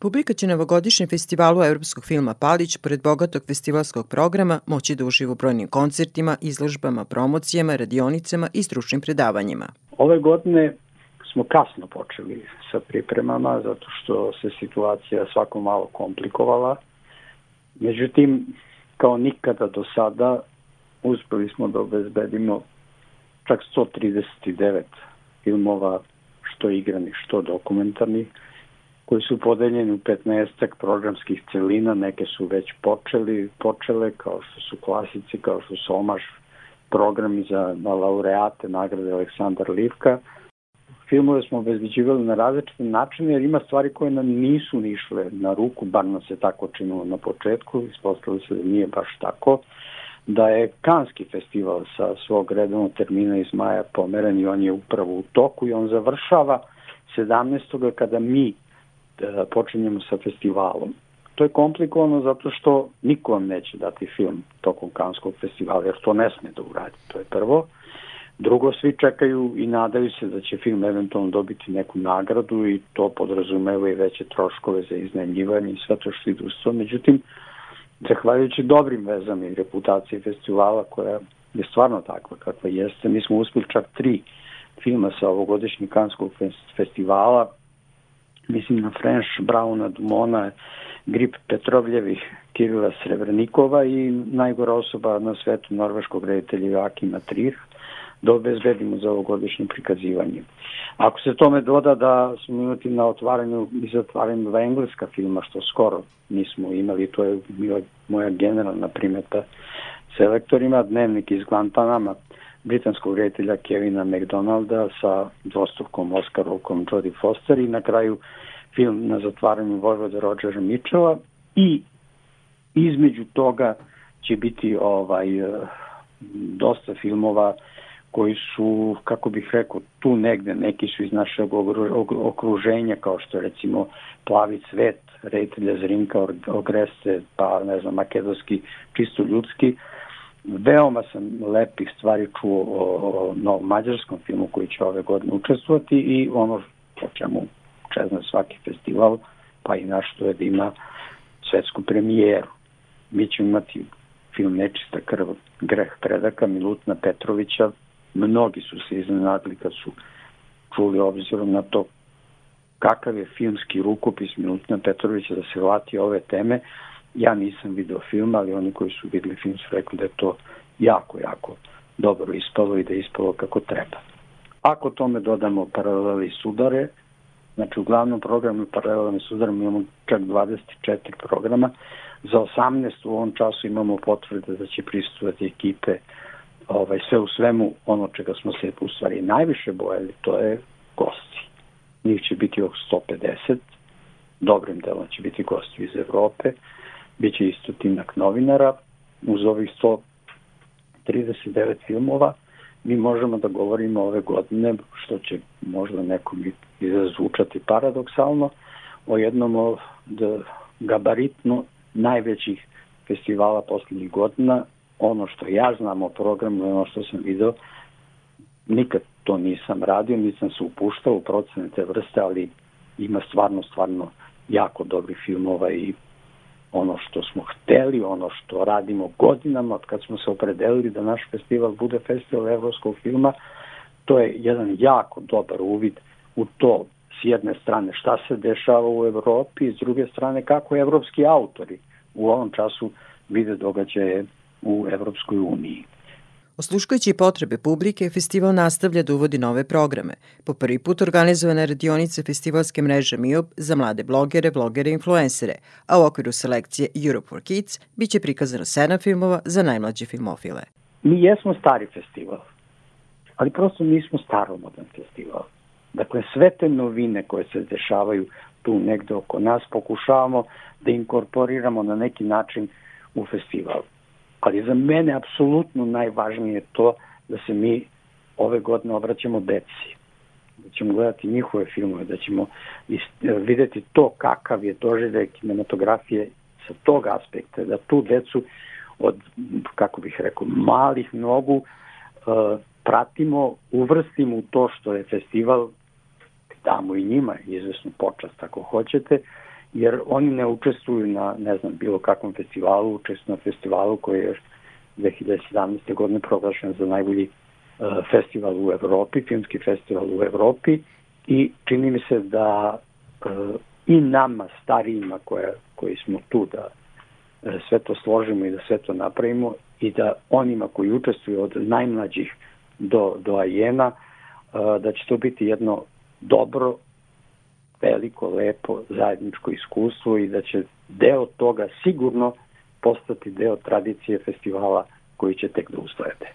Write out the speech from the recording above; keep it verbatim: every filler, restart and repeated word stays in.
Publika će na ovogodišnjem festivalu evropskog filma Palić, pored bogatog festivalskog programa, moći da uživa u brojnim koncertima, izložbama, promocijama, radionicama i stručnim predavanjima. Ove godine smo kasno počeli sa pripremama, zato što se situacija svako malo komplikovala. Međutim, kao nikada do sada, uspeli smo da obezbedimo čak sto trideset devet filmova, što igranih, što dokumentarnih, koji su podeljeni u petnaestak programskih celina. Neke su već počeli, počele, kao što su klasici, kao što su Omaš, programi za laureate nagrade Aleksandar Livka. Filmove smo obezbeđivali na različite načine, jer ima stvari koje nam nisu nišle na ruku, bar nam se tako činilo na početku, ispostavilo se da nije baš tako, da je Kanski festival sa svog redovnog termina iz maja pomeren i on je upravo u toku i on završava sedamnaestog kada mi počinjemo sa festivalom. To je komplikovano zato što niko vam neće dati film tokom Kanskog festivala, jer to ne sme da uradi. To je prvo. Drugo, svi čekaju i nadaju se da će film eventualno dobiti neku nagradu i to podrazumeva i veće troškove za iznajmljivanje i sve to što ide uz to. Međutim, zahvaljujući dobrim vezama i reputaciji festivala, koja je stvarno takva kakva jeste, mi smo uspeli čak tri filma sa ovogodišnjeg Kanskog festivala. Mislim na French, Brauna, Dumona, Grip Petrovljevih, Kirila Srebrenikova i najgora osoba na svetu, norveškog reditelja Joakima Trier, da obezbedimo za ovogodišnje prikazivanje. Ako se tome doda da smo imati na otvaranju i zatvaranju dva engleska filma, što skoro nismo imali, to je bila moja generalna primeta selektorima, Dnevnik iz Guantanama, britanskog reditelja Kevina McDonalda sa dvostrukom Oskarovkom Jodie Foster i na kraju film na zatvaranju Vojvode Rodgera Mitchella i između toga će biti ovaj dosta filmova koji su, kako bih rekao, tu negde, neki su iz našeg okruženja, kao što je recimo Plavi cvet, reditelja Zrinka Ogreste, pa ne znam, makedonski, čisto ljudski. Veoma sam lepih stvari čuo o, o novom mađarskom filmu koji će ove godine učestvovati i ono po čemu čezna svaki festival, pa i naš, to je da ima svetsku premijeru. Mi ćemo imati film Nečista krv, greh predaka Milutina Petrovića. Mnogi su se iznenadili kad su čuli obzirom na to kakav je filmski rukopis Milutina Petrovića da se vrati ove teme. Ja nisam video film, ali oni koji su videli film su rekli da je to jako, jako dobro ispalo i da je ispalo kako treba. Ako tome dodamo paralele i sudare, znači u glavnom programu paralelama i sudarama imamo čak dvadeset četiri programa, za osamnaest u ovom času imamo potvrde da će prisustvovati ekipe, ovaj, sve u svemu ono čega smo se u stvari najviše bojali, to je gosti. Njih će biti oko sto pedeset, dobrim delom će biti gosti iz Evrope, biće isto tinak novinara, uz ovih sto trideset devet filmova mi možemo da govorimo ove godine, što će možda nekom i zvučati paradoksalno, o jednom od gabaritno najvećih festivala poslednjih godina. Ono što ja znam o programu, ono što sam video, nikad to nisam radio, nisam se upuštao u procene te vrste, ali ima stvarno, stvarno jako dobrih filmova i ono što smo hteli, ono što radimo godinama, od kad smo se opredelili da naš festival bude festival evropskog filma, to je jedan jako dobar uvid u to, s jedne strane šta se dešava u Evropi, s druge strane kako evropski autori u ovom času vide događaje u Evropskoj uniji. Osluškujući potrebe publike, festival nastavlja da uvodi nove programe. Po prvi put organizovana radionica festivalske mreže M I O B za mlade blogere, blogere i influencere, a u okviru selekcije Europe for Kids biće prikazano sedam filmova za najmlađe filmofile. Mi jesmo stari festival, ali prosto nismo staromodan festival. Dakle, sve te novine koje se dešavaju tu negde oko nas pokušavamo da inkorporiramo na neki način u festival. Ali za mene apsolutno najvažnije je to da se mi ove godine obraćamo deci, da ćemo gledati njihove filmove, da ćemo videti to kakav je doživljaj kinematografije sa tog aspekta, da tu decu od, kako bih rekao, malih nogu pratimo, uvrstimo u to što je festival, damo i njima izvesnu počast ako hoćete, jer oni ne učestvuju na, ne znam, bilo kakvom festivalu, učestvuju na festivalu koji je dve hiljade sedamnaeste. godine proglašen za najbolji uh, festival u Evropi, filmski festival u Evropi, i čini mi se da uh, i nama, starijima koje, koji smo tu da uh, sve to složimo i da sve to napravimo, i da onima koji učestvuju od najmlađih do, do ajena, uh, da će to biti jedno dobro, veliko, lepo, zajedničko iskustvo i da će deo toga sigurno postati deo tradicije festivala koji će tek da ustojate.